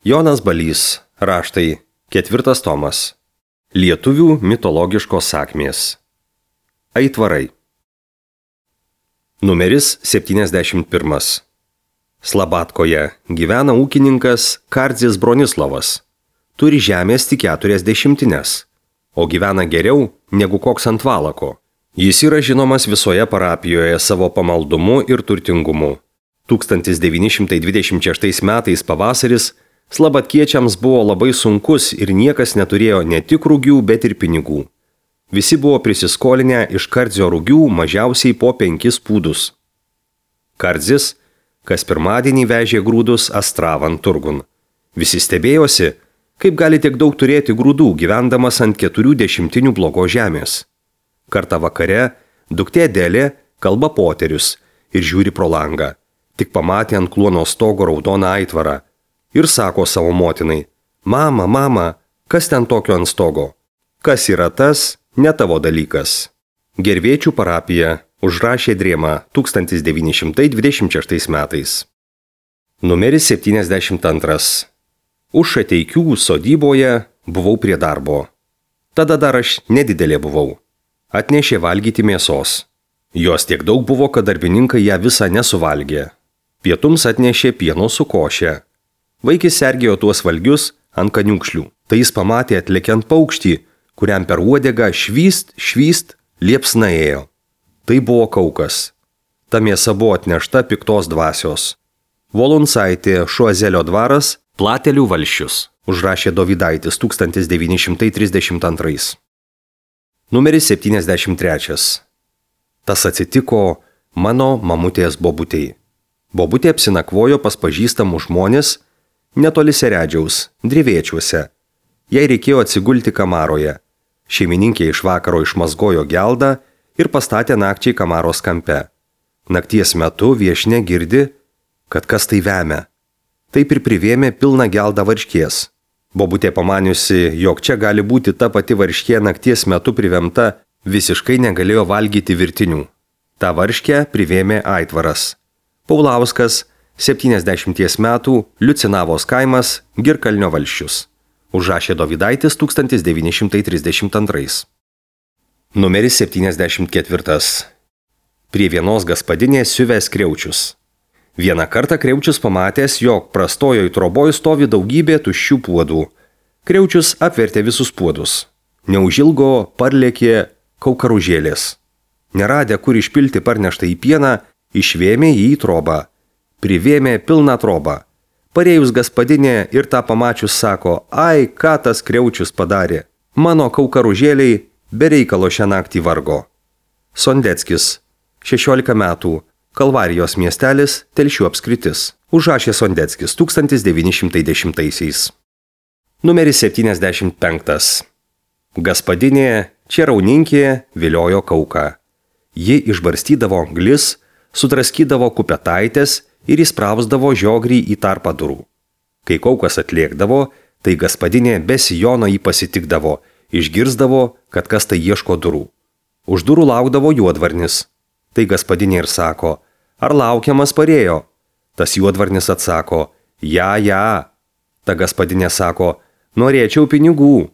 Jonas Balys, raštai, 4 tomas. Lietuvių mitologiškos sakmės. Aitvarai. Numeris 71. Slabatkoje gyvena ūkininkas Kardzis Bronislavas. Turi žemės tik 40, o gyvena geriau negu koks ant valako. Jis yra žinomas visoje parapijoje savo pamaldumu ir turtingumu. 1926 metais pavasaris slabatkiečiams buvo labai sunkus ir niekas neturėjo ne tik rugių, bet ir pinigų. Visi buvo prisiskolinę iš Kardzio rugių mažiausiai po 5 pūdus. Kardzis kas pirmadienį vežė grūdus Astravan turgun. Visi stebėjosi, kaip gali tiek daug turėti grūdų, gyvendamas ant 40 blogos žemės. Kartą vakare duktė Delė kalba poterius ir žiūri pro langą. Tik pamatė ant kluono stogo raudoną aitvarą ir sako savo motinai: Mama, mama, kas ten tokio ant stogo? Kas yra tas, ne tavo dalykas. Gervėčių parapija, užrašė Drėma 1926 metais. Numeris 72. Už Šateikių sodyboje buvau prie darbo. Tada dar aš nedidelė buvau. Atnešė valgyti mėsos. Jos tiek daug buvo, kad darbininkai ją visą nesuvalgė. Pietums atnešė pieno su koše. Vaikis sergėjo tuos valgius ant kaniūkšlių. Tai jis pamatė atlekiant paukštį, kuriam per uodegą švyst liepsna ėjo. Tai buvo kaukas. Ta mėsa buvo atnešta piktos dvasios. Volunsaitė, Šuazelio dvaras, Platelių valsčius, užrašė Dovydaitis 1932. Numeris 73. Tas atsitiko mano mamutės bobutei. Bobutė apsinakvojo pas pažįstamų žmonės netoli Seredžiaus, Drevėčiuose. Jai reikėjo atsigulti kamaroje. Šeimininkė iš vakaro išmazgojo geldą ir pastatė nakčiai kamaros kampe. Nakties metu viešnia girdi, kad kas tai vemia. Taip ir privėmė pilną geldą varškės. Bobutė pamaniusi, jog čia gali būti ta pati varškė nakties metu privemta, visiškai negalėjo valgyti virtinių. Ta varškę privėmė aitvaras. Paulauskas, 70 metų, Liucinavos kaimas, Girkalnio valsčius. Užrašė Dovydaitis 1932. Numeris 74. Prie vienos gaspadinės siuvęs Kriaučius. Vieną kartą Kriaučius pamatęs, jog prastojoj troboj stovi daugybė tuščių puodų. Kriaučius apvertė visus puodus. Neužilgo parlėkė kaukaružėlės. Neradę, kur išpilti parneštą į pieną, išvėmė jį į trobą. Privėmė pilną trobą. Parėjus gaspadinė ir tą pamačius sako: Ai, ką tas Kriaučius padarė. Mano kaukaružėliai be reikalo šią naktį vargo. Sondeckis, 16 metų, Kalvarijos miestelis, Telšių apskritis. Užrašė Sondeckis 1910. Numeris 75. Gaspadinė, Čerauninkė viliojo kauką. Ji išbarstydavo anglis, sudraskydavo kupetaitės ir įsprausdavo žiogrį į tarpą durų. Kai kaukas atlėkdavo, tai gaspadinė be sijono jį pasitikdavo, išgirsdavo, kad kas tai ieško durų. Už durų laukdavo juodvarnis. Tai gaspadinė ir sako: Ar laukiamas parėjo? Tas juodvarnis atsako: Ja. Ta gaspadinė sako: Norėčiau pinigų.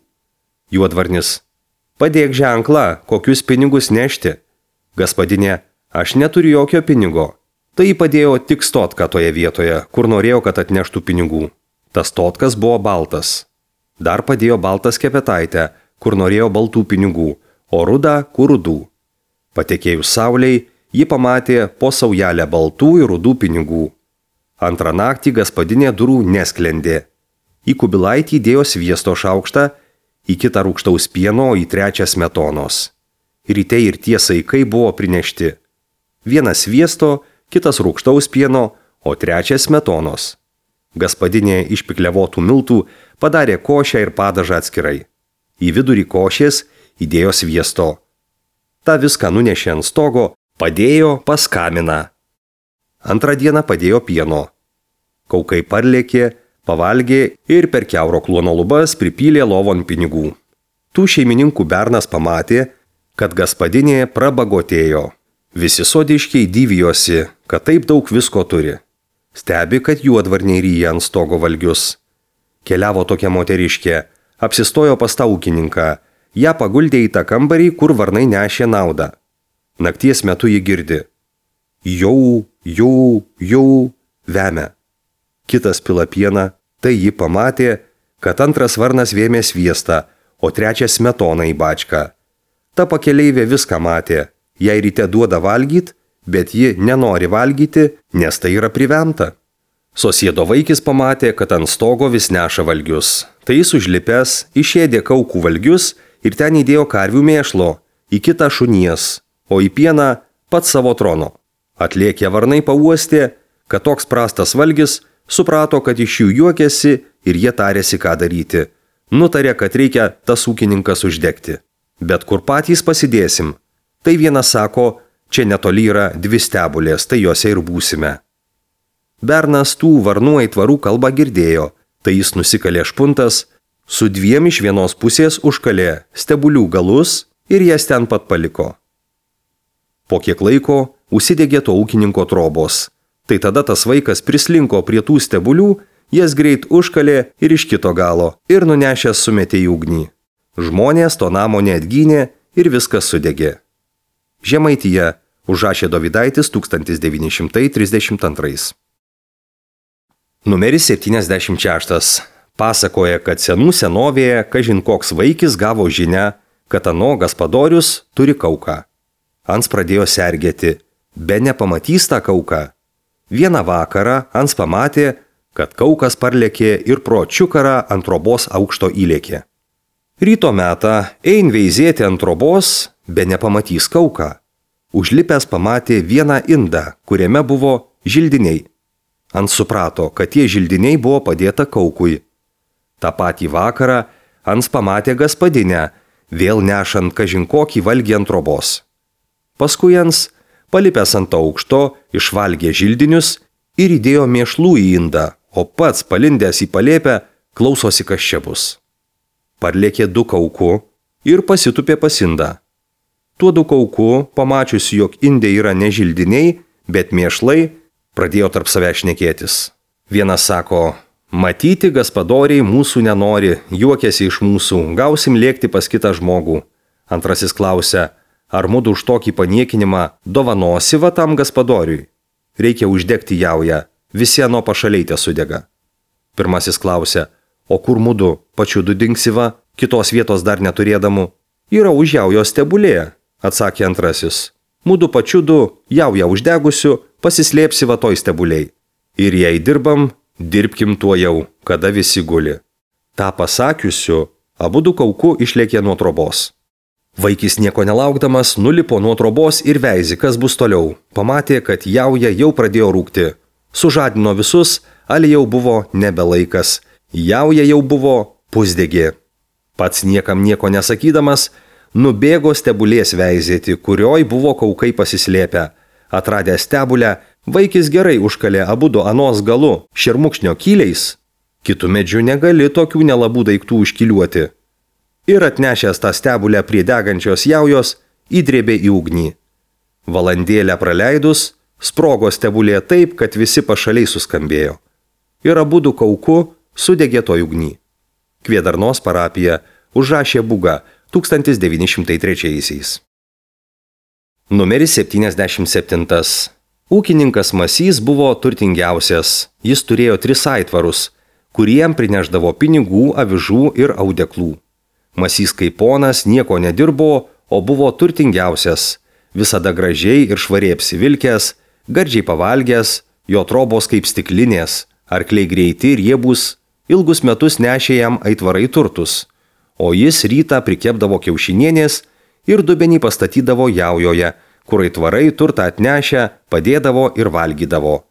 Juodvarnis: Padėk ženklą, kokius pinigus nešti. Gaspadinė: Aš neturiu jokio pinigo. Tai padėjo tik stotką toje vietoje, kur norėjo, kad atneštų pinigų. Tas stotkas buvo baltas. Dar padėjo baltas kepetaitę, kur norėjo baltų pinigų, o rudą, kur rudų. Patekėjus sauliai, ji pamatė po saujelę baltų ir rudų pinigų. Antrą naktį gaspadinė durų nesklendė. Į kubilaitį įdėjo sviesto šaukštą, į kitą rūgštaus pieno, į trečią smetonos. Ryte ir tie saikai buvo prinešti. Vienas sviesto, kitas rūgštaus pieno, o trečias smetonos. Gaspadinė iš pikliavotų miltų padarė košę ir padažą atskirai. Į vidurį košės įdėjo sviesto. Ta viską nunešė ant stogo, padėjo pas kaminą. Antrą dieną padėjo pieno. Kaukai parlėkė, pavalgė ir per kiauro kluono lubas pripylė lovon pinigų. Tų šeimininkų bernas pamatė, kad gaspadinė prabagotėjo. Visi sodiškiai dyvijosi, kad taip daug visko turi. Stebi, kad juodvarniai ryja ant stogo valgius. Keliavo tokia moteriškė, apsistojo pas tą ūkininką, ją paguldė į tą kambarį, kur varnai nešė naudą. Nakties metu ji girdi. Jau, vemia. Kitas pila pieną, tai ji pamatė, kad antras varnas vėmė sviestą, o trečias smetoną į bačką. Ta pakeleivė viską matė, jai ryte duoda valgyt, bet ji nenori valgyti, nes tai yra privemta. Sosiedo vaikis pamatė, kad ant stogo vis neša valgius. Tai jis užlipęs, išėdė kaukų valgius ir ten įdėjo karvių mėšlo, į kitą šunies, o į pieną pats savo trono. Atlėkę varnai pauostė, kad toks prastas valgis, suprato, kad iš jų juokėsi ir jie tarėsi, ką daryti. Nutarė, kad reikia tas ūkininkas uždegti. Bet kur patys pasidėsim? Tai vienas sako, čia netoli yra 2 stebulės, tai juose ir būsime. Bernas tų varnų aitvarų kalbą girdėjo, tai jis nusikalė špuntas, su 2 iš vienos pusės užkalė stebulių galus ir jas ten pat paliko. Po kiek laiko užsidegė to ūkininko trobos. Tai tada tas vaikas prislinko prie tų stebulių, jas greit užkalė ir iš kito galo ir nunešęs sumetė į ugnį. Žmonės to namo neatgynė ir viskas sudegė. Žemaitija, Užrašė Dovydaitis 1932. Numeris 76. Pasakoja, kad senų senovėje kažin koks vaikis gavo žinią, kad ano gaspadorius turi kauką. Ans pradėjo sergėti, be nepamatys tą kauką. Vieną vakarą Ans pamatė, kad kaukas parlėkė ir pro čiukarą ant trobos aukšto įlėkė. Ryto metą ein veizėti ant trobos, be nepamatys kauką. Užlipęs pamatė vieną indą, kuriame buvo žildiniai. Ans suprato, kad tie žildiniai buvo padėta kaukui. Ta patį vakarą Ans pamatė gaspadinę, vėl nešant kažin kokį valgį ant trobos. Paskui Ans, palipęs ant aukšto, išvalgė žildinius ir įdėjo mėšlų į indą, o pats palindęs į palėpę klausosi, kas čia bus. Parlėkė 2 kauku ir pasitupė pas indą. Tuo 2 kauku, pamačiusi, jog indė yra ne žildiniai, bet mėšlai, pradėjo tarp savęs šnekėtis. Vienas sako, matyti gaspadoriai mūsų nenori, juokiasi iš mūsų, gausim lėkti pas kitą žmogų. Antrasis klausia, ar mudu už tokį paniekinimą dovanosi va tam gaspadoriui? Reikia uždegti jaują, visi ano pašaliai te sudega. Pirmasis klausia, o kur mudu pačiudu dingsiva, kitos vietos dar neturėdamų? Yra už jaujos stebulėje, atsakė antrasis. Mudu pačiudu jaują uždegusiu, pasislėpsi va toj stebuliai. Ir jei dirbam, dirbkim tuo jau, kada visi guli. Ta pasakiusiu, abudu kauku išlėkė nuo trobos. Vaikis nieko nelaukdamas nulipo nuo trobos ir veizė, kas bus toliau. Pamatė, kad jauja jau pradėjo rūkti. Sužadino visus, ali jau buvo nebelaikas. Jauja jau buvo pusdegė. Pats niekam nieko nesakydamas, nubėgo stebulės veizėti, kurioj buvo kaukai pasislėpę. Atradę stebulę, vaikis gerai užkalė abudu anos galu šermukšnio kyliais. Kitų medžių negali tokių nelabų daiktų užkiliuoti. Ir atnešęs tą stebulę prie degančios jaujos, įdrėbė į ugnį. Valandėlę praleidus, sprogo stebulė taip, kad visi pašaliai suskambėjo. Ir abudu kauku sudegė toj ugnį. Kvėdarnos parapija užrašė Būga 1903. Numeris 77. Ūkininkas Masys buvo turtingiausias. Jis turėjo 3 aitvarus, kuriem prineždavo pinigų, avižų ir audeklų. Masys kaip ponas nieko nedirbo, o buvo turtingiausias. Visada gražiai ir švariai apsivilkęs, gardžiai pavalgęs, jo trobos kaip stiklinės, arkliai greiti ir riebūs, ilgus metus nešė jam aitvarai turtus, o jis rytą prikepdavo kiaušinienės ir dubenį pastatydavo jaujoje, kur aitvarai turtą atnešę padėdavo ir valgydavo.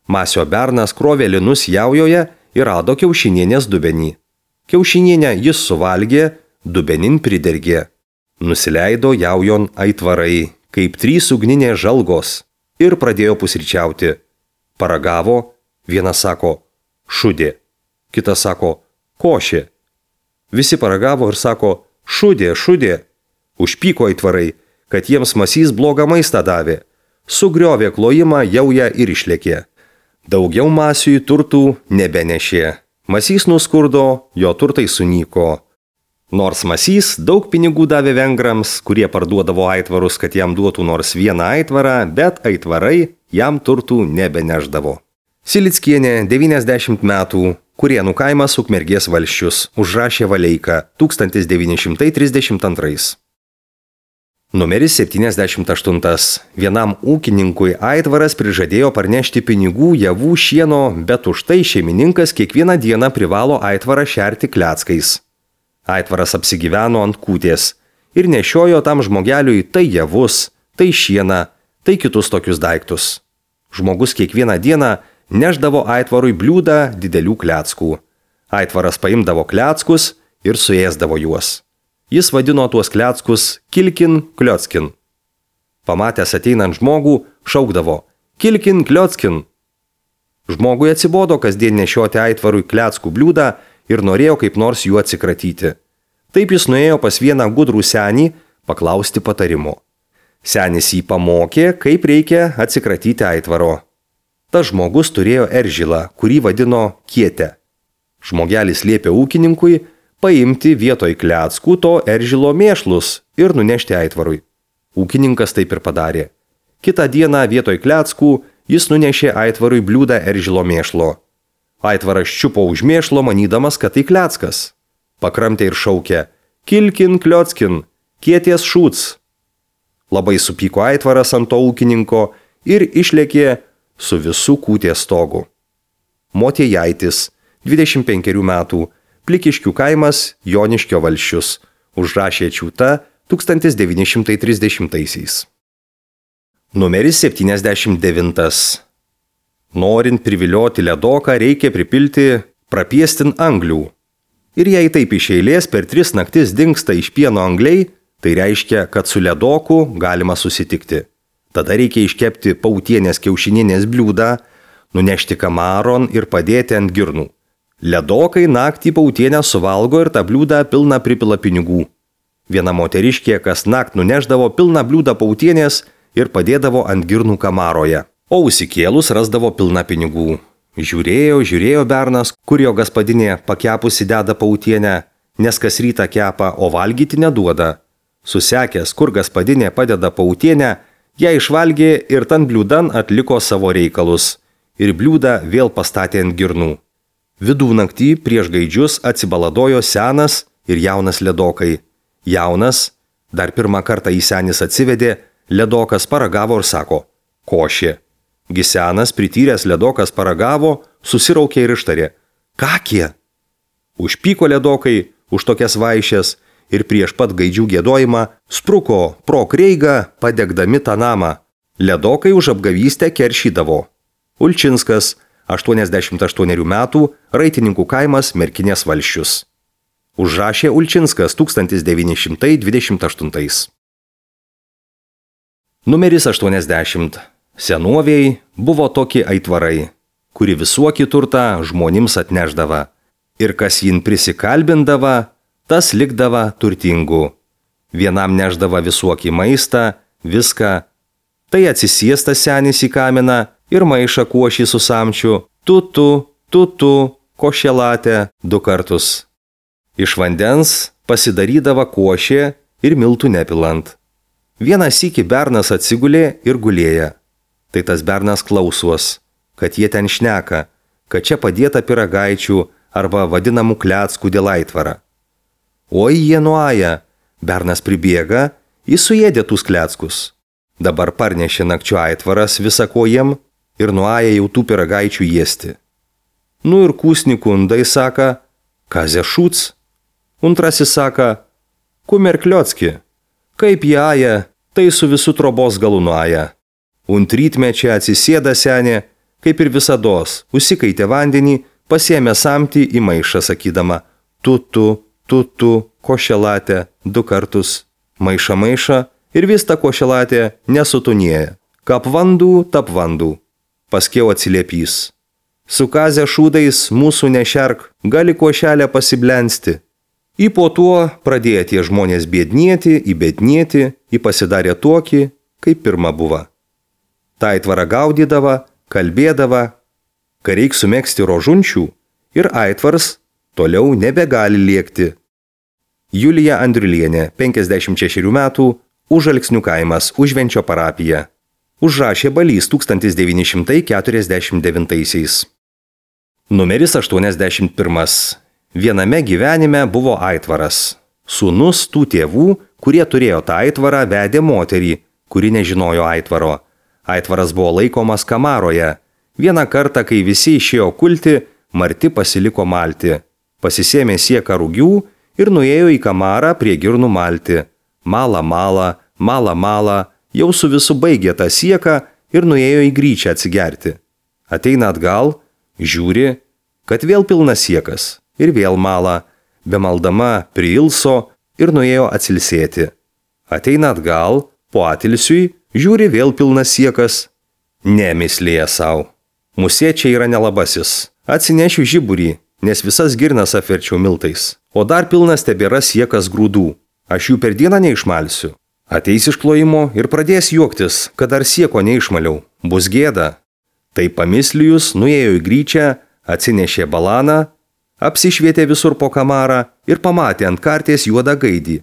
Masio bernas krovė linus jaujoje ir rado kiaušinienės dubenį. Kiaušinienę jis suvalgė, dubenin pridergė. Nusileido jaujon aitvarai, kaip 3 ugninės žalgos, ir pradėjo pusryčiauti. Paragavo, vienas sako, šudė, kitas sako, košė. Visi paragavo ir sako, šudė, šudė. Užpyko aitvarai, kad jiems Masys blogą maistą davė. Sugriovė klojimą jaują ir išlėkė. Daugiau Masiui turtų nebenešė. Masys nuskurdo, jo turtai sunyko. Nors Masys daug pinigų davė vengrams, kurie parduodavo aitvarus, kad jam duotų nors vieną aitvarą, bet aitvarai jam turtų nebeneždavo. Silickienė, 90 metų, Kurienų kaimas Ukmergės valsčius, užrašė Valeiką 1932. Numeris 78. Vienam ūkininkui aitvaras prižadėjo parnešti pinigų, javų, šieno, bet už tai šeimininkas kiekvieną dieną privalo aitvarą šerti kleckais. Aitvaras apsigyveno ant kūtės ir nešiojo tam žmogeliui tai javus, tai šieną, tai kitus tokius daiktus. Žmogus kiekvieną dieną neždavo aitvarui bliūdą didelių kleckų. Aitvaras paimdavo kleckus ir suėsdavo juos. Jis vadino tuos kleckus kilkin kliockin. Pamatęs ateinant žmogų, šaukdavo kilkin kliockin. Žmogui atsibodo kasdien nešioti aitvarui kleckų bliūdą ir norėjo kaip nors juo atsikratyti. Taip jis nuėjo pas vieną gudrų senį paklausti patarimo. Senis jį pamokė, kaip reikia atsikratyti aitvaro. Tas žmogus turėjo eržilą, kurį vadino kietę. Žmogelis liepė ūkininkui paimti vietoj kleckų to eržilo mėšlus ir nunešti aitvarui. Ūkininkas taip ir padarė. Kitą dieną vietoj kleckų jis nunešė aitvarui bliūdą eržilo mėšlo. Aitvaras čiupo už mėšlo, manydamas, kad tai kleckas. Pakramtė ir šaukė kilkin kliockin, kieties šūts. Labai supyko aitvaras ant to ūkininko ir išlėkė su visų kūtės stogu. Motiejaitis, 25 metų, Plikiškių kaimas, Joniškio valsčius, užrašė Čiūta 1930. Numeris 79. Norint privilioti ledoką, reikia pripilti prapiestin anglių. Ir jei taip iš eilės per 3 naktis dingsta iš pieno angliai, tai reiškia, kad su ledoku galima susitikti. Tada reikia iškepti pautienės kiaušininės bliūdą, nunešti kamaron ir padėti ant girnų. Ledokai naktį pautienę suvalgo ir tą bliūdą pilną pripila pinigų. Viena moteriškė kas nakt nuneždavo pilną bliūdą pautienės ir padėdavo ant girnų kamaroje, o užsikėlus rasdavo pilną pinigų. Žiūrėjo bernas, kur jo gaspadinė pakepusi deda pautienę, nes kas rytą kepa, o valgyti neduoda. Susekęs, kur gaspadinė padeda pautienę, ją išvalgė ir tan bliūdan atliko savo reikalus ir bliūdą vėl pastatė ant girnų. Vidurnaktį prieš gaidžius atsibaladojo senas ir jaunas ledokai. Jaunas, dar pirmą kartą į senis atsivedė, ledokas paragavo ir sako košė. Gi senas prityręs ledokas paragavo, susiraukė ir ištarė kakie. Užpyko ledokai už tokias vaišes ir prieš pat gaidžių giedojimą spruko pro kreigą padegdami tą namą. Ledokai už apgavystę keršydavo. Ulčinskas, 88 metų, Raitininkų kaimas, Merkinės valsčius. Užrašė Ulčinskas 1928. Numeris 80. Senoviai buvo tokie aitvarai, kuri visuokį turtą žmonėms atneždava. Ir kas jin prisikalbindava, tas likdava turtingu. Vienam neždava visuokį maistą, viską. Tai atsisiestas senis į kaminą ir maišą košį su samčiu, tutu, košelatę 2 kartus. Iš vandens pasidarydava košė ir miltų nepilant. Vieną sykį bernas atsigulė ir gulėja. Tai tas bernas klausos, kad jie ten šneka, kad čia padėta pyragaičių arba vadinamų kleckų dėl aitvarą. Oi jie nuaja, bernas pribėga, jis suėdė tus kleckus. Dabar parnešė nakčio aitvaras visako jiem ir nuaja jau tų pyragaičių jėsti. Nu ir kūsni kundai saka, kazė šūts. Untrasis saka, kumer kliocki, kaip jie aja, tai su visų trobos galu nuaja. Untrytmečia atsisėda senė, kaip ir visados, užsikaitė vandenį, pasiėmė samtį į maišą sakydama, tutu, košelatę 2 kartus. Maiša ir vis ta košelatė nesutunėja. Kap vandų, tap vandų. Paskiau atsiliepys. Su kazė šūdais mūsų nešerk, gali košelę pasiblensti. Į po tuo pradėjo tie žmonės biednėti, į pasidarė tokį, kaip pirma buvo. Ta aitvarą gaudydava, kalbėdava, kai reik sumegzti rožunčių, ir aitvars toliau nebegali lėkti. Julija Andriulienė, 56 metų, Užalksnių kaimas, Užvenčio parapija. Užrašė Balys 1949. Numeris 81. Viename gyvenime buvo aitvaras. Sūnus tų tėvų, kurie turėjo tą aitvarą, vedė moterį, kuri nežinojo aitvaro. Aitvaras buvo laikomas kamaroje. Vieną kartą, kai visi išėjo kulti, Marti pasiliko malti. Pasisėmė sieką rūgių ir nuėjo į kamarą prie girnų malti. Mala, jau su visu baigė tą sieką ir nuėjo į gryčią atsigerti. Ateina atgal, žiūri, kad vėl pilnas siekas ir vėl mala, bemaldama priilso ir nuėjo atsilsėti. Ateina atgal, po atilsiui, žiūri vėl pilnas siekas. Nemislėja savo. Musė čia yra nelabasis. Atsinešiu žiburį, nes visas girnas apverčiau miltais. O dar pilnas tebėra siekas grūdų. Aš jų per dieną neišmalsiu. Ateis iš klojimo ir pradės juoktis, kad dar sieko neišmaliau. Bus gėda. Tai pamislijus nuėjo į gryčią, atsinešė balaną, apsišvietė visur po kamarą ir pamatė ant karties juodą gaidį.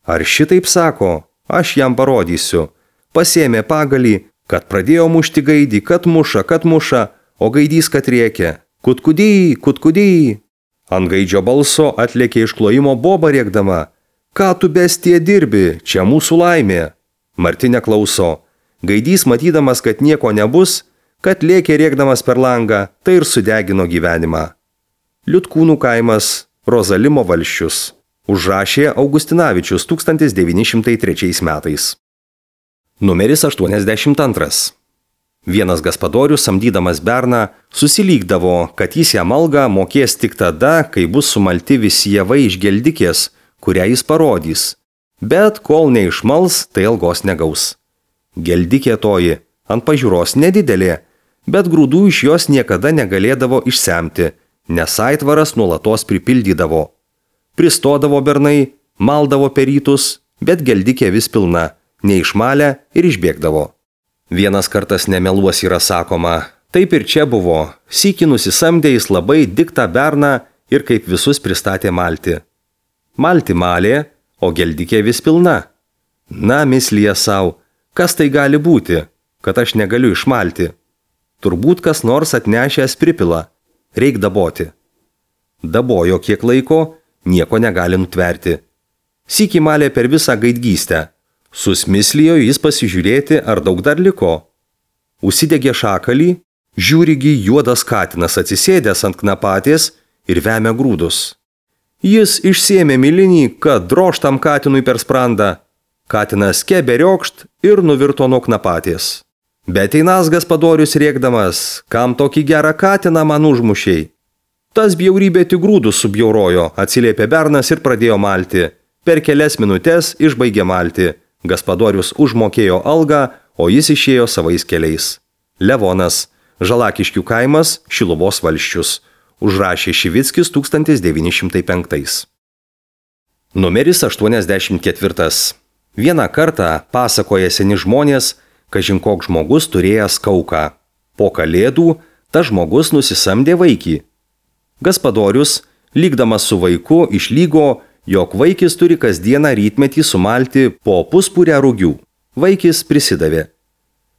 Ar šitaip sako, aš jam parodysiu. Pasėmė pagalį, kad pradėjo mušti gaidį, kad muša, o gaidys kad rėkė. Kutkudį. Ant gaidžio balso atlėkė iš klojimo boba rėkdama. Ką tu bestie dirbi, čia mūsų laimė. Marti neklauso. Gaidys matydamas, kad nieko nebus, kad lėkė rėkdamas per langą, tai ir sudegino gyvenimą. Liutkūnų kaimas, Rozalimo valsčius. Užrašė Augustinavičius 1903 metais. Numeris 82. Vienas gaspadorius, samdydamas berną, susilygdavo, kad jis jam algą mokės tik tada, kai bus sumalti visi javai iš geldikės, kurią jis parodys. Bet kol neišmals, tai algos negaus. Geldikė toji, ant pažiūros nedidelė, bet grūdų iš jos niekada negalėdavo išsemti, nes aitvaras nuolatos pripildydavo. Pristodavo bernai, maldavo per rytus, bet geldikė vis pilna, neišmalę ir išbėgdavo. Vienas kartas nemeluos yra sakoma, taip ir čia buvo, sykį nusisamdė jis labai diktą berną ir kaip visus pristatė malti. Malti malė, o geldikė vis pilna. Na, mislija savo, kas tai gali būti, kad aš negaliu išmalti? Turbūt kas nors atnešęs pripila, reik daboti. Dabojo kiek laiko, nieko negali nutverti. Sykį malė per visą gaidgystę. Susmislijo jis pasižiūrėti, ar daug dar liko. Užsidegė šakalį, žiūrigi juodas katinas atsisėdęs ant knapatės ir vemia grūdus. Jis išsėmė milinį, kad drožtam katinui per sprandą. Katinas keberiokšt ir nuvirto nuo knapatės. Bet einas gaspadorius rėkdamas, kam tokį gerą katiną man užmušiai. Tas bjaurybė tik grūdus subjaurojo, atsiliepė bernas ir pradėjo malti. Per kelias minutės išbaigė malti. Gaspadorius užmokėjo algą, o jis išėjo savais keliais. Levonas, Žalakiškių kaimas, Šiluvos valsčius. Užrašė Šivickis 1905. Numeris 84. Vieną kartą pasakoja seni žmonės, kažin koks žmogus turėjęs kauką. Po kalėdų tas žmogus nusisamdė vaikį. Gaspadorius, lygdamas su vaiku, išlygo, jog vaikis turi kasdieną rytmetį sumalti po puspurę rūgių. Vaikis prisidavė.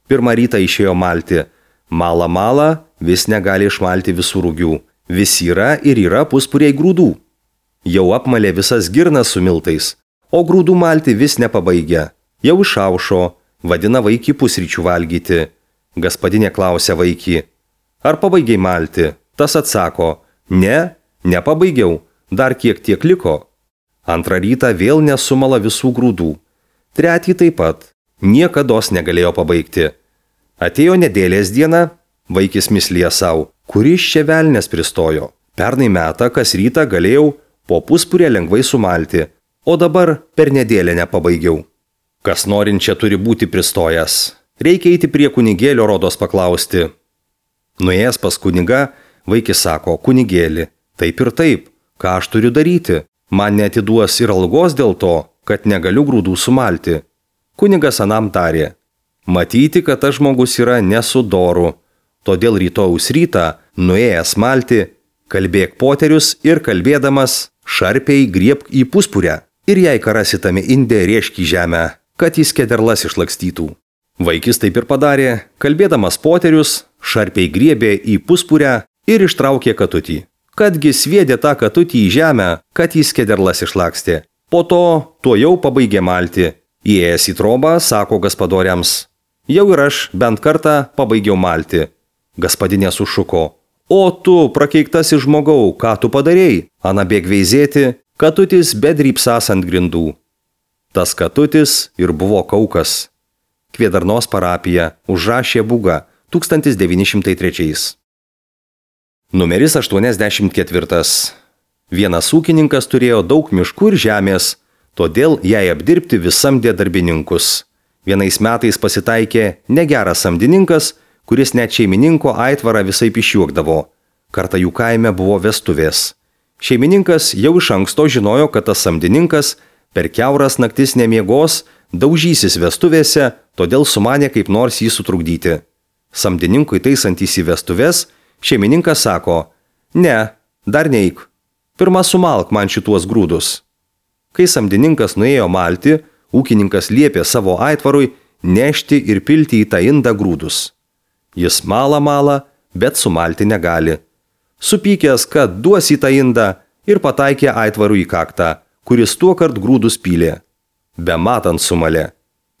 Pirmą rytą išėjo malti. Mala, vis negali išmalti visų rūgių. Vis yra ir yra puspuriai grūdų. Jau apmalė visas girnas su miltais, o grūdų malti vis nepabaigia. Jau išaušo, vadina vaikį pusryčių valgyti. Gaspadinė klausia vaikį, ar pabaigiai malti? Tas atsako, ne, nepabaigiau, dar kiek tiek liko. Antrą rytą vėl nesumala visų grūdų. Tretį taip pat, niekados negalėjo pabaigti. Atėjo nedėlės diena, vaikis mislija savo, kuris čia velnės pristojo. Pernai metą kas rytą galėjau po puspurę lengvai sumalti, o dabar per nedėlę nepabaigiau. Kas norinčia turi būti pristojęs. Reikia eiti prie kunigėlio rodos paklausti. Nuėjęs pas kunigą, vaikis sako, kunigėli, taip ir taip, ką aš turiu daryti? Man neatiduos ir algos dėl to, kad negaliu grūdų sumalti. Kunigas anam tarė, matyti, kad tas žmogus yra nesudoru, todėl rytojaus rytą, nuėjęs malti, Kalbėk poterius ir kalbėdamas šarpiai griebk į puspurę ir jei karasi tame inde rėžk į žemę, kad jis kederlas išlakstytų. Vaikis taip ir padarė, kalbėdamas poterius, šarpiai griebė į puspurę ir ištraukė katutį. Kadgi sviedė tą katutį į žemę, kad jis kederlas išlakstė. Po to tuojau pabaigė malti. Įėjęs į trobą, sako gaspadoriams: jau ir aš bent kartą pabaigiau malti. Gaspadinė sušuko: o tu, prakeiktasis žmogau, ką tu padarėjai? Ana bėg veizėti, katutis bedrypsas ant grindų. Tas katutis ir buvo Kaukas. Kvėdarnos parapija, užrašė Būga, 1903. Numeris 84. Vienas ūkininkas turėjo daug miškų ir žemės, todėl jai apdirbti vis samdė darbininkus. Vienais metais pasitaikė negeras samdininkas, kuris net šeimininko aitvarą visaip išjuokdavo. Kartą jų kaime buvo vestuvės. Šeimininkas jau iš anksto žinojo, kad tas samdininkas per kiauras naktis nemiegos, daužysis vestuvėse, todėl sumanė kaip nors jį sutrukdyti. Samdininkui taisantys į vestuvės, šeimininkas sako: ne, dar neik, pirmą sumalk man šituos grūdus. Kai samdininkas nuėjo malti, ūkininkas liepė savo aitvarui nešti ir pilti į tą indą grūdus. Jis mala, bet sumalti negali. Supykęs, kad duos į tą indą, ir pataikė aitvarui į kaktą, kuris tuokart grūdus pylė. Bematant sumalė.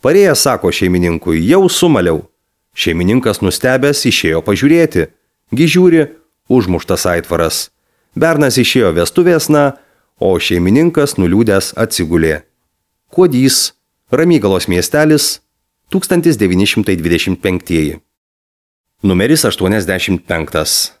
Parėjęs sako šeimininkui: jau sumaliau. Šeimininkas nustebęs išėjo pažiūrėti. Gi žiūri, užmuštas aitvaras. Bernas išėjo vestuvėsna, o šeimininkas nuliūdęs atsigulė. Kuodys, Ramygalos miestelis, 1925. Numeris 85.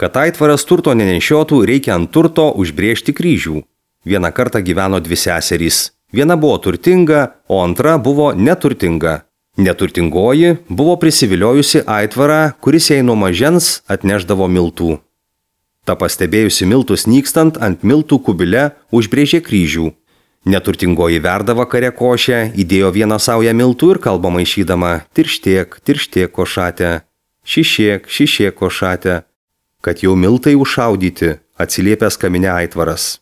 Kad aitvaras turto nenešiotų, reikia ant turto užbrėžti kryžių. Vieną kartą gyveno dvi seserys. Viena buvo turtinga, o antra buvo neturtinga. Neturtingoji buvo prisiviliojusi aitvarą, kuris jai nuo mažens atnešdavo miltų. Ta pastebėjusi miltus nykstant ant miltų kubile užbrėžė kryžių. Neturtingoji verda vakare košę, įdėjo vieną saują miltų ir kalba maišydama: tirštiek, tirštiek košatę, šišiek košatę. Kad jau miltai užšaudyti, atsiliepęs kamine aitvaras.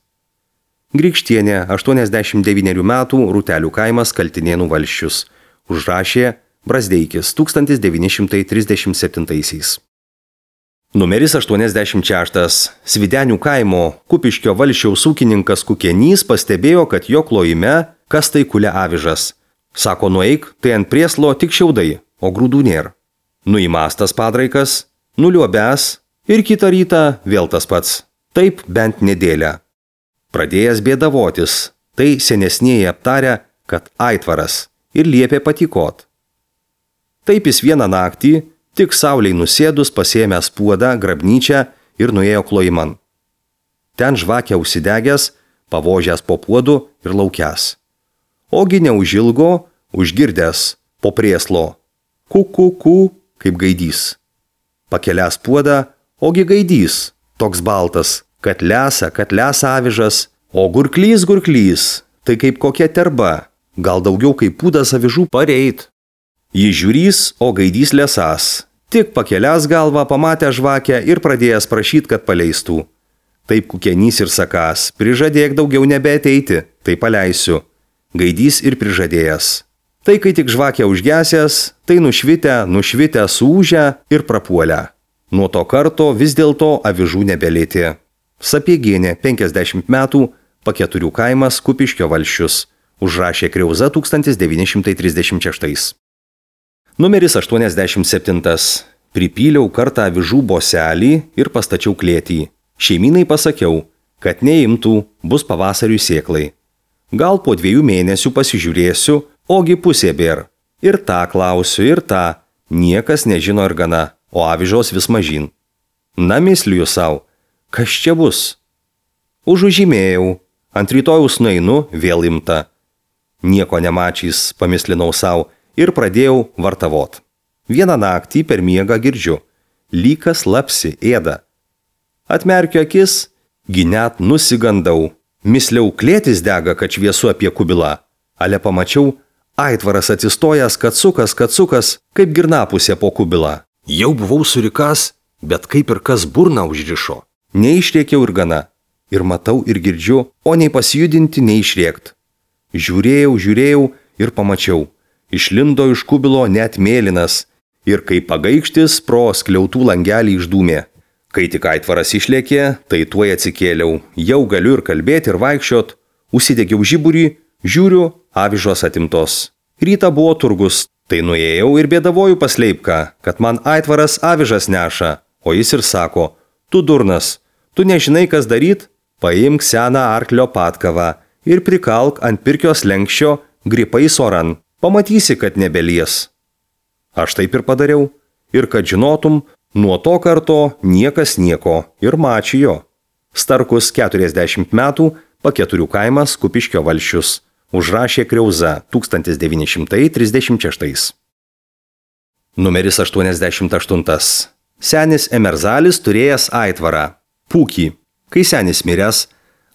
Grikštienė, 89 metų, Rūtelių kaimas, Kaltinėnų valsčius. Užrašė Brazdeikis, 1937. Numeris 86. Svidenių kaimo Kupiškio valsčiaus ūkininkas Kukenys pastebėjo, kad jo klojime kas tai kulia avižas. Sako: nueik, tai ant prieslo tik šiaudai, o grūdų nėra. Nuimastas padraikas, nuliuobęs ir kitą rytą vėl tas pats. Taip bent nedėlę. Pradėjęs bėdavotis, tai senesnieji aptarė, kad aitvaras, ir liepė patikot. Taip jis vieną naktį, tik sauliai nusėdus, pasėmęs puodą, grabnyčią ir nuėjo klojiman. Ten žvakę užsidegęs, pavožęs po puodu ir laukęs. Ogi neužilgo, užgirdęs po prieslo: ku, kaip gaidys. Pakelęs puodą, ogi gaidys, toks baltas, kad lesa avižas, o gurklys, tai kaip kokia terba, gal daugiau kaip pūdas avižų pareit. Jis žiūrys, o gaidys lesas. Tik pakelęs galvą pamatė žvakę ir pradėjęs prašyti, kad paleistų. Taip Kukenys ir sakas: prižadėk daugiau nebeateiti, tai paleisiu. Gaidys ir prižadėjęs. Tai kai tik žvakė užgesęs, tai nušvitę suūžę ir prapuolę. Nuo to karto vis dėlto avižų nebelėtė. Sapiegienė, 50 metų, Paketurių kaimas, Kupiškio valsčius. Užrašė Kriauza, 1936. Numeris 87. Pripyliau kartą avižų boselį ir pastačiau klėtį. Šeimynai pasakiau, kad neimtų, bus pavasariui sėklai. Gal po 2 mėnesių pasižiūrėsiu, ogi pusė bėr. Ir tą klausiu, ir tą. Niekas nežino ir gana, o avižos vis mažyn. Na, misliu savo, kas čia bus? Užužymėjau, ant rytojaus nueinu, vėl imta. Nieko nemačys, pamislinau savo ir pradėjau vartavot. Vieną naktį per miegą girdžiu: lykas lapsi ėda. Atmerkiu akis, gi net nusigandau. Misliau, klėtis dega, kad šviesu apie kubilą. Ale pamačiau, aitvaras atsistojęs, kad sukas, kaip girnapusė po kubilą. Jau buvau surikas bet kaip ir kas burną užrišo. Neišrėkiau ir gana. Ir matau, ir girdžiu, o nei pasijudinti, nei išrėkt. Žiūrėjau ir pamačiau. Išlindo iš kubilo net mėlynas ir kaip pagaikštis pro skliautų langelį išdūmė. Kai tik aitvaras išlėkė, tai tuoj atsikėliau. Jau galiu ir kalbėti, ir vaikščiot. Užsidegiau žiburį, žiūriu, avižos atimtos. Ryta buvo turgus, tai nuėjau ir bėdavoju pas Leipką, kad man aitvaras avižas neša. O jis ir sako, tu durnas, tu nežinai, kas daryt? Paimk seną arklio patkavą ir prikalk ant pirkio slenkščio gripais oran. Pamatysi, kad nebelies. Aš taip ir padariau. Ir kad žinotum, nuo to karto niekas nieko ir mačijo. Starkus 40 metų, Paketurių kaimas, Kupiškio valsčius. Užrašė Kriauza 1936. Numeris 88. Senis Emerzalis turėjęs aitvarą. Pūkį. Kai senis miręs,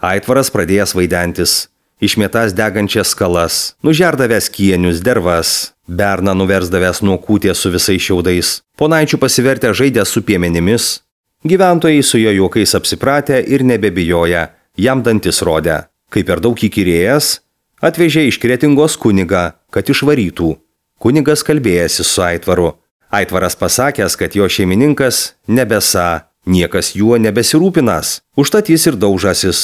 aitvaras pradėjęs vaidentis. Išmetęs degančias skalas, nužerdavęs kienius, dervas, berną nuversdavęs nuo kūties su visais šiaudais, ponaičių pasivertę žaidę su piemenimis. Gyventojai su jo juokais apsipratę ir nebebijoja, jam dantis rodė. Kai per daug įkyrėjęs, atvežė iš Kretingos kunigą, kad išvarytų. Kunigas kalbėjęsi su aitvaru. Aitvaras pasakęs, kad jo šeimininkas nebesa, niekas juo nebesirūpinas, užtat jis ir daužasis.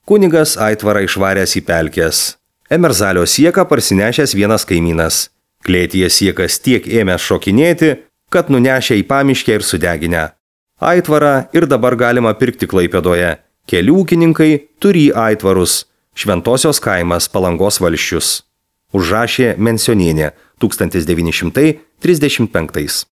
Kunigas aitvarą išvaręs į pelkės. Emerzalio sieką parsinešęs vienas kaimynas. Klėtyje siekas tiek ėmęs šokinėti, kad nunešė į pamiškę ir sudeginę. Aitvarą ir dabar galima pirkti Klaipėdoje. Keli ūkininkai turi aitvarus. Šventosios kaimas, Palangos valsčius. Užrašė Mensionienė 1935.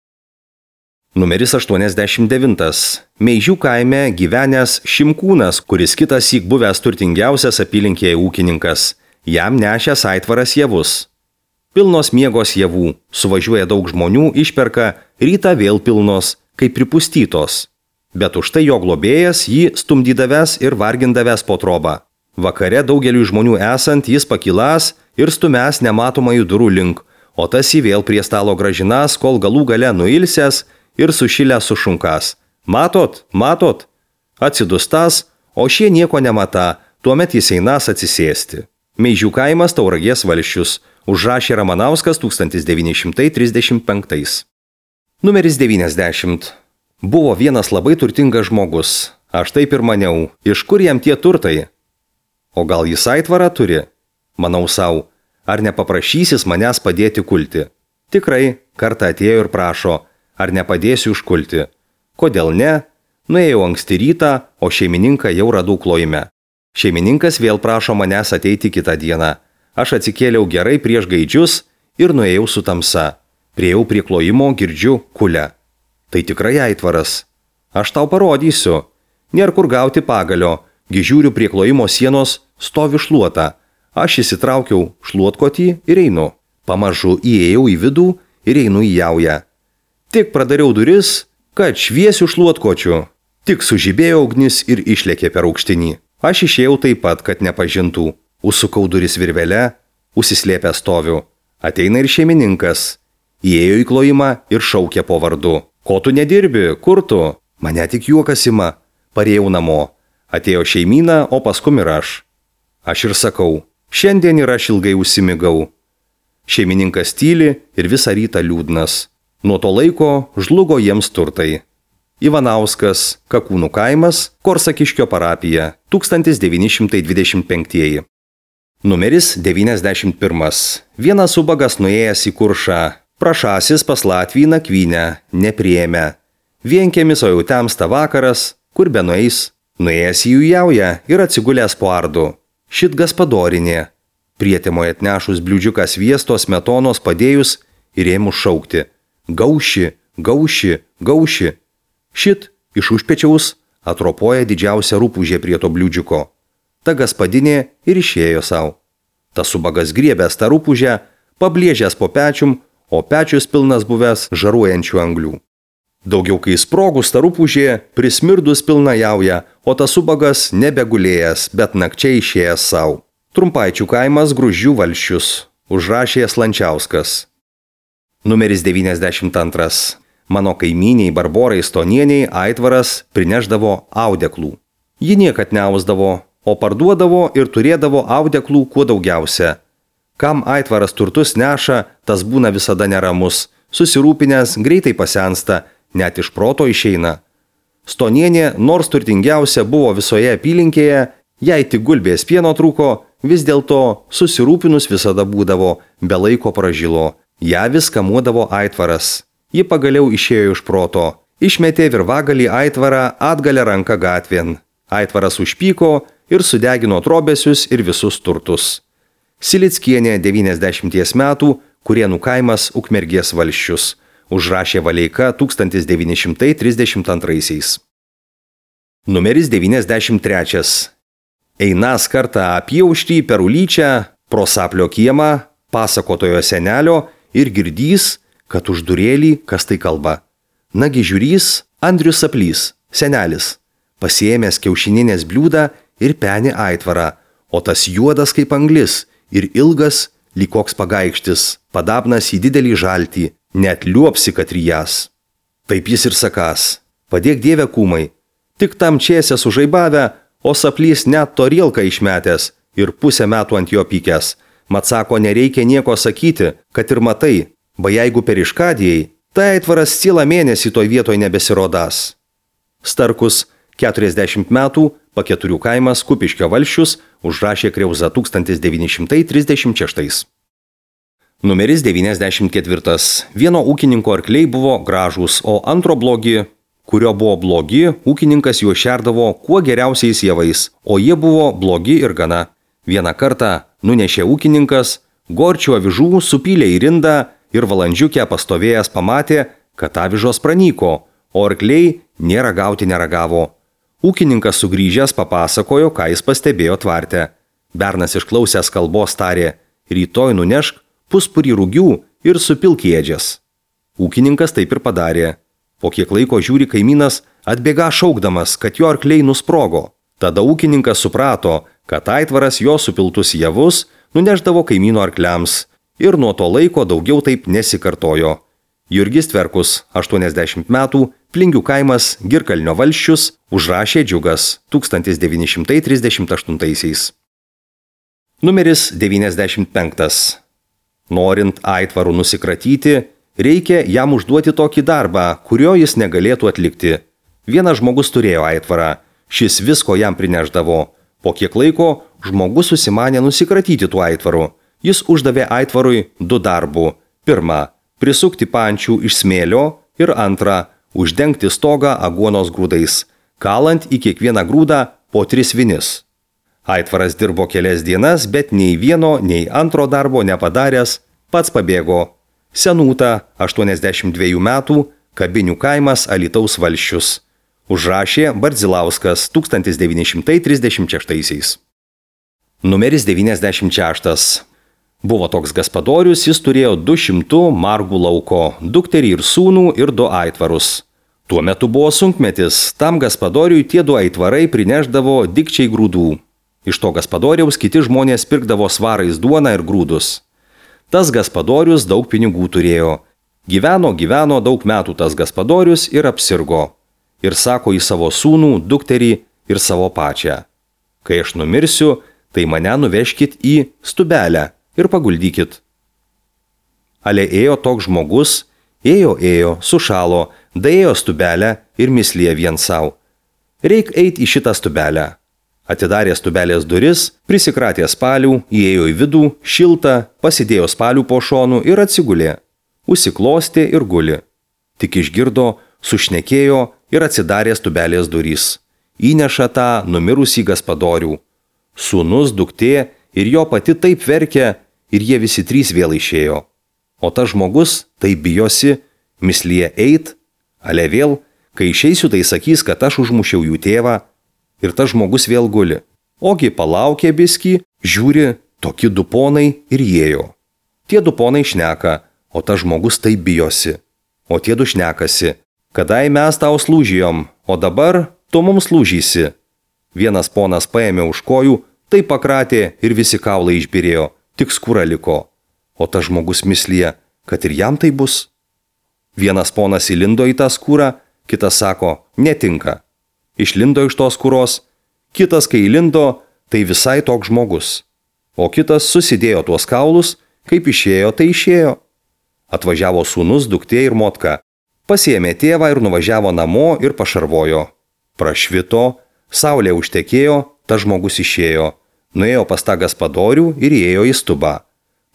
Numeris 89. Meižių kaime gyvenęs Šimkūnas, kuris kitąsyk buvęs turtingiausias apylinkėje ūkininkas. Jam nešęs aitvaras javus. Pilnos miegos javų, suvažiuoja daug žmonių, išperka, rytą vėl pilnos, kaip pripustytos. Bet už tai jo globėjas jį stumdydavęs ir vargindavęs po trobą. Vakare daugeliu žmonių esant jis pakilas ir stumęs nematomąjų durų link, o tas jį vėl prie stalo gražinas, kol galų gale nuilsęs ir sušilęs sušunkas. Matot, matot? Atsidustas, o šie nieko nemata, tuomet jis einas atsisėsti. Meižių kaimas, Tauragės valsčius. Užrašė Ramanauskas 1935. Numeris 90. Buvo vienas labai turtingas žmogus. Aš taip ir maniau, iš kur jam tie turtai? O gal jis aitvarą turi? Manau sau, ar nepaprašysis manęs padėti kulti? Tikrai, kartą atėjo ir prašo, ar nepadėsiu užkulti. Kodėl ne? Nuėjau anksti rytą, o šeimininką jau radau klojime. Šeimininkas vėl prašo manęs ateiti kitą dieną. Aš atsikėliau gerai prieš gaidžius ir nuėjau su tamsa. Priejau prie klojimo, girdžiu kulę. Tai tikrai aitvaras. Aš tau parodysiu. Nėr kur gauti pagalio. Gižiūriu prie klojimo sienos, stovi šluota. Aš įsitraukiau šluotkotį ir einu. Pamažu įėjau į vidų ir einu į jaują. Tik pradariau duris, kad šviesiu šluotkočiu. Tik sužibėjo ugnis ir išlėkė per aukštinį. Aš išėjau taip pat, kad nepažintų. Užsukau duris virvelę, užsislėpę stoviu. Ateina ir šeimininkas. Įėjo į klojimą ir šaukė po vardu. Ko tu nedirbi, kur tu? Mane tik juokas ima. Parėjau namo. Atėjo šeimyna, o paskum ir aš. Aš ir sakau, šiandien ir aš ilgai užsimigau. Šeimininkas tyli ir visą rytą liūdnas. Nuo to laiko žlugo jiems turtai. Ivanauskas, Kakūnų kaimas, Korsakiškio parapija, 1925. Numeris 91. Vienas ubagas nuėjęs į Kuršą. Prašasis pas Latvijį nakvynę, nepriėmė. Vienkiemis, o jau temsta vakaras, kur be nueis. Nuėjęs į jų jaują ir atsigulęs po ardu. Šit gaspadorinė. Prietemoje atnešus bliūdžiuką sviesto smetonos padėjus ir ėmus šaukti. Gauši, gauši, gauši. Šit iš užpečiaus atropoja didžiausia rūpužė prie to bliūdžiuko. Ta gaspadinė ir išėjo savo. Tas ubagas griebęs tą rūpužę, pablėžęs po pečium, o pečius pilnas buvęs žaruojančių anglių. Daugiau kai sprogus ta rūpužė, prismirdus pilna jauja, o tas ubagas nebegulėjęs, bet nakčiai išėjęs savo. Trumpaičių kaimas, Gruzdžių valsčius. Užrašė Slančiauskas. Numeris 92. Mano kaimyniai Barborai Stonieniai Aitvaras prineždavo audeklų. Ji niekad neausdavo, o parduodavo ir turėdavo audeklų kuo daugiausia. Kam Aitvaras turtus neša, tas būna visada neramus, susirūpinęs, greitai pasensta, net iš proto išeina. Stonienė, nors turtingiausia buvo visoje apylinkėje, jei tik gulbės pieno trūko, vis dėlto susirūpinus visada būdavo, be laiko pražilo. Ja vis kamuodavo Aitvaras. Ji pagaliau išėjo iš proto. Išmetė virvagalį Aitvarą atgalę ranką gatvėn. Aitvaras užpyko ir sudegino trobesius ir visus turtus. Silickienė 90 metų, Kurienų kaimas Ukmergės valsčius. Užrašė Valeika 1932. Numeris 93. Einas kartą apjauštį per Ulyčią, pro Saplio kiemą, pasakotojo senelio ir girdys, kad už durėlį kas tai kalba. Nagi žiūrys Andrius Saplys, senelis, pasiėmęs kiaušininės bliūdą ir penį Aitvarą, o tas juodas kaip anglis ir ilgas, lyg koks pagaikštis, padabnas į didelį žaltį, net liuopsi katrijas. Taip jis ir sakas, padėk Dieve kūmai, tik tam čiesę sužaibavę, o Saplys net torielką išmetęs ir pusę metų ant jo pykęs. Mat sako, nereikia nieko sakyti, kad ir matai, ba jeigu per iškadijai, tai Aitvaras cielą mėnesį toj vietoj nebesirodas. Starkus 40 metų, Paketurių kaimas Kupiškio valsčius, užrašė Kriauza 1936. Numeris 94. Vieno ūkininko arkliai buvo gražūs, o antro blogi. Kurio buvo blogi, ūkininkas juos šerdavo kuo geriausiais javais, o jie buvo blogi ir gana. Vieną kartą nunešė ūkininkas, gorčių avižų supylė į rindą ir valandžiukę pastovėjęs pamatė, kad avižos pranyko, o arkliai nė ragauti neragavo. Ūkininkas sugrįžęs papasakojo, ką jis pastebėjo tvarte. Bernas išklausęs kalbos tarė, rytoj nunešk puspurį rugių ir supilk ėdžias. Ūkininkas taip ir padarė. Po kiek laiko žiūri kaimynas atbėga šaukdamas, kad jo arkliai nusprogo. Tada ūkininkas suprato, kad Aitvaras jo supiltus javus nuneždavo kaimyno arkliams ir nuo to laiko daugiau taip nesikartojo. Jurgis Tverkus, 80 metų, Plingių kaimas Girkalnio valsčius, užrašė Džiugas 1938. Numeris 95. Norint Aitvarų nusikratyti, reikia jam užduoti tokį darbą, kurio jis negalėtų atlikti. Vienas žmogus turėjo Aitvarą, šis visko jam prineždavo. Po kiek laiko žmogus susimanė nusikratyti tuo Aitvaru. Jis uždavė Aitvarui 2 darbų. Pirma, prisukti pančių iš smėlio ir antra, uždengti stogą aguonos grūdais, kalant į kiekvieną grūdą po 3 vinis. Aitvaras dirbo kelias dienas, bet nei vieno, nei antro darbo nepadaręs, pats pabėgo. Senūta, 82 metų, Kabinių kaimas Alytaus valsčius. Užrašė Bardzilauskas 1936. Numeris 96. Buvo toks gaspadorius, jis turėjo 200 margų lauko, dukterį ir sūnų ir 2 aitvarus. Tuo metu buvo sunkmetis, tam gaspadoriui tie 2 aitvarai prineždavo dikčiai grūdų. Iš to gaspadoriaus kiti žmonės pirkdavo svarais duoną ir grūdus. Tas gaspadorius daug pinigų turėjo. Gyveno daug metų tas gaspadorius ir apsirgo. Ir sako į savo sūnų, dukterį ir savo pačią. Kai aš numirsiu, tai mane nuveškit į stubelę ir paguldykit. Ale ėjo toks žmogus, ėjo, sušalo, daėjo stubelę ir mislėje vien savo. Reik eit į šitą stubelę. Atidarė stubelės duris, prisikratė spalių, įėjo į vidų, šilta, pasidėjo spalių po šonų ir atsigulė. Užsiklostė ir guli. Tik išgirdo, sušnekėjo ir atsidarė stubelės durys. Įneša tą numirusį gaspadorių. Sūnus, duktė ir jo pati taip verkė ir jie visi 3 vėl išėjo. O tas žmogus taip bijosi, mislyje eit, ale vėl, kai išeisiu, tai sakys, kad aš užmušiau jų tėvą. Ir tas žmogus vėl guli. Ogi palaukė biskį, žiūri, tokie 2 ponai ir įėjo. Tie 2 ponai šneka, o tas žmogus taip bijosi. O tie 2 šnekasi, kadai mes tau slūžijom, o dabar tu mums slūžysi. Vienas ponas paėmė už kojų, taip pakratė ir visi kaulai išbirėjo, tik skūra liko. O tas žmogus mislyje, kad ir jam tai bus. Vienas ponas įlindo į tą skūrą, kitas sako, netinka. Išlindo iš tos skūros, kitas, kai įlindo, tai visai toks žmogus. O kitas susidėjo tuos kaulus, kaip išėjo, tai išėjo. Atvažiavo sūnus, duktė ir motka. Pasiėmė tėvą ir nuvažiavo namo ir pašarvojo. Prašvito, saulė užtekėjo, tas žmogus išėjo. Nuėjo pas tą gaspadorių ir įėjo į stubą.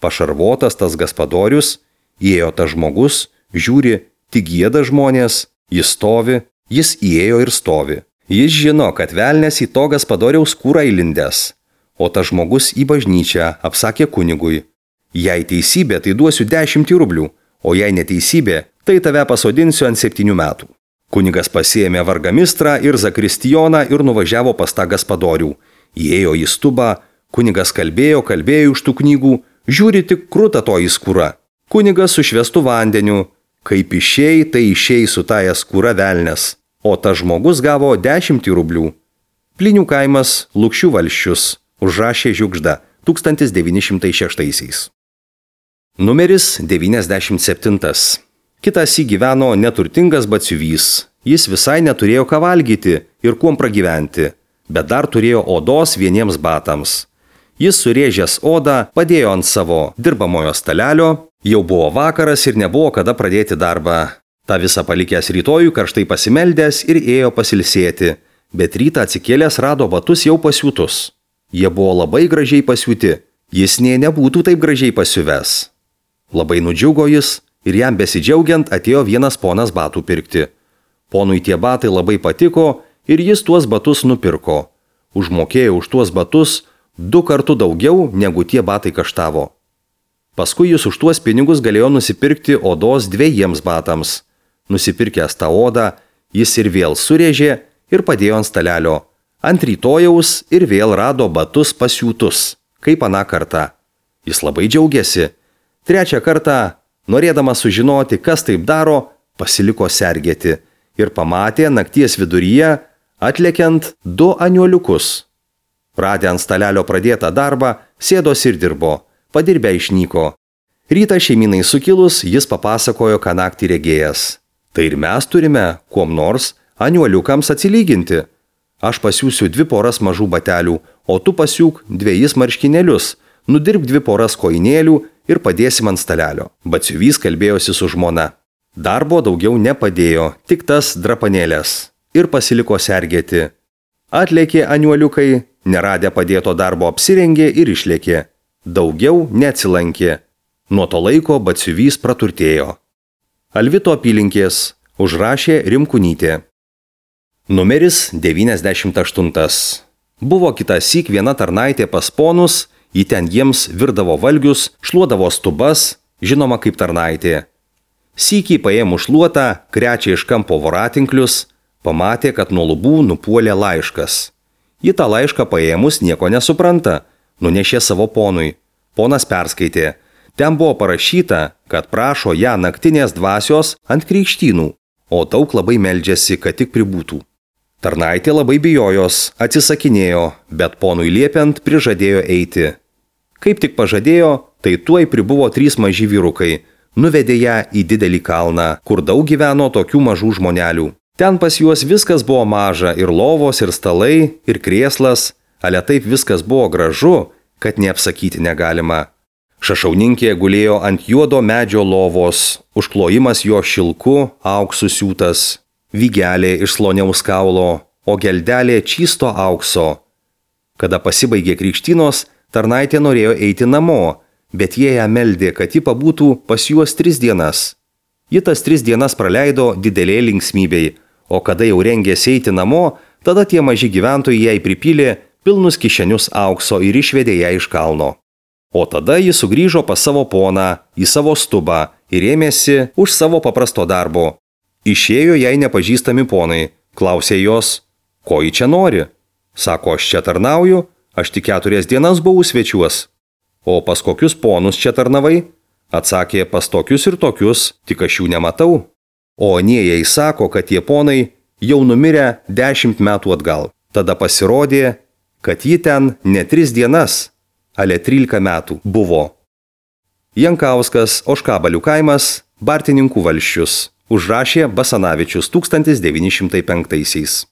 Pašarvotas tas gaspadorius, įėjo tas žmogus, žiūri, tik gieda žmonės, jis stovi, jis įėjo ir stovi. Jis žino, kad velnias į to gaspadoriaus skūrą įlindęs. O tas žmogus į bažnyčią apsakė kunigui. Jei teisybė, tai duosiu 10 rublių, o jei neteisybė, tai tave pasodinsiu ant 7 metų. Kunigas pasiėmė vargamistrą ir zakristijoną ir nuvažiavo pas tą gaspadorių. Įėjo į stubą, kunigas kalbėjo iš tų knygų, žiūri tik kruta to į skūrą. Kunigas su švęstu vandeniu, kaip išėjai, tai išėjai su taja skūra velnias, o tas žmogus gavo 10 rublių. Plinių kaimas, Lukšių valsčius, užrašė Žiugžda 1906. Numeris 97. Kitas gyveno neturtingas batsiuvys. Jis visai neturėjo ką valgyti ir kuom pragyventi, bet dar turėjo odos vieniems batams. Jis surėžęs odą padėjo ant savo dirbamojo stalelio, jau buvo vakaras ir nebuvo kada pradėti darbą. Ta visą palikęs rytojų karštai pasimeldęs ir ėjo pasilsėti, bet rytą atsikėlęs rado batus jau pasiūtus. Jie buvo labai gražiai pasiūti, jis nebūtų taip gražiai pasiuvęs. Labai nudžiugo jis ir jam besidžiaugiant atėjo vienas ponas batų pirkti. Ponui tie batai labai patiko ir jis tuos batus nupirko. Užmokėjo už tuos batus 2 kartų daugiau, negu tie batai kaštavo. Paskui jis už tuos pinigus galėjo nusipirkti odos 2 batams. Nusipirkęs tą odą, jis ir vėl surėžė ir padėjo ant stalelio. Ant rytojaus ir vėl rado batus pasiūtus, kaip aną kartą. Jis labai džiaugiasi. 3 kartą, norėdamas sužinoti, kas taip daro, pasiliko sergėti ir pamatė nakties viduryje atlekiant 2 aniuoliukus. Radę ant stalelio pradėtą darbą, sėdos ir dirbo, padirbę išnyko. Rytą šeiminai sukilus, jis papasakojo, ką naktį regėjęs. Tai ir mes turime, kuom nors, aniuoliukams atsilyginti. Aš pasiūsiu 2 poras mažų batelių, o tu pasiūk 2 marškinėlius, nudirbk 2 poras koinėlių ir padėsim ant stalelio. Batsiuvys kalbėjosi su žmona. Darbo daugiau nepadėjo, tik tas drapanėlės. Ir pasiliko sergėti. Atlėkė aniuoliukai, neradę padėto darbo apsirengė ir išlėkė. Daugiau neatsilankė. Nuo to laiko batsiuvys praturtėjo. Alvito apylinkės, užrašė Rimkunytė. Numeris 98. Buvo kitąsyk viena tarnaitė pas ponus, ji ten jiems virdavo valgius, šluodavo stubas, žinoma kaip tarnaitė. Sykį paėmus šluotą, krečia iš kampo voratinklius, pamatė, kad nuo lubų nupuolė laiškas. Ji tą laišką paėmus nieko nesupranta, nunešė savo ponui. Ponas perskaitė. Ten buvo parašyta, kad prašo ją naktinės dvasios ant krikštynų, o daug labai meldžiasi, kad tik pribūtų. Tarnaitė labai bijojos, atsisakinėjo, bet ponui liepiant prižadėjo eiti. Kaip tik pažadėjo, tai tuoj pribuvo 3 maži vyrukai, nuvedė ją į didelį kalną, kur daug gyveno tokių mažų žmonelių. Ten pas juos viskas buvo maža, ir lovos, ir stalai, ir krėslas, ale taip viskas buvo gražu, kad neapsakyti negalima. Šašauninkė gulėjo ant juodo medžio lovos, užklojimas jo šilku, auksu siūtas, vygelė iš sloniaus kaulo, o geldelė čisto aukso. Kada pasibaigė krikštynos, tarnaitė norėjo eiti namo, bet jie ją meldė, kad ji pabūtų pas juos 3 dienas. Ji tas 3 dienas praleido didelė linksmybei, o kada jau rengėsi eiti namo, tada tie maži gyventojai jai pripylė pilnus kišenius aukso ir išvedė ją iš kalno. O tada ji sugrįžo pas savo poną, į savo stubą ir ėmėsi už savo paprasto darbo. Išėjo jai nepažįstami ponai, klausė jos, ko ji čia nori? Sako, aš čia tarnauju, aš tik 4 dienas buvau svečiuos. O pas kokius ponus čia tarnavai? Atsakė, pas tokius ir tokius, tik aš jų nematau. O anie jai sako, kad tie ponai jau numirę 10 metų atgal. Tada pasirodė, kad ji ten ne 3 dienas, ale 13 metų buvo. Jankauskas, Ožkabalių kaimas, Bartininkų valsčius. Užrašė Basanavičius 1905.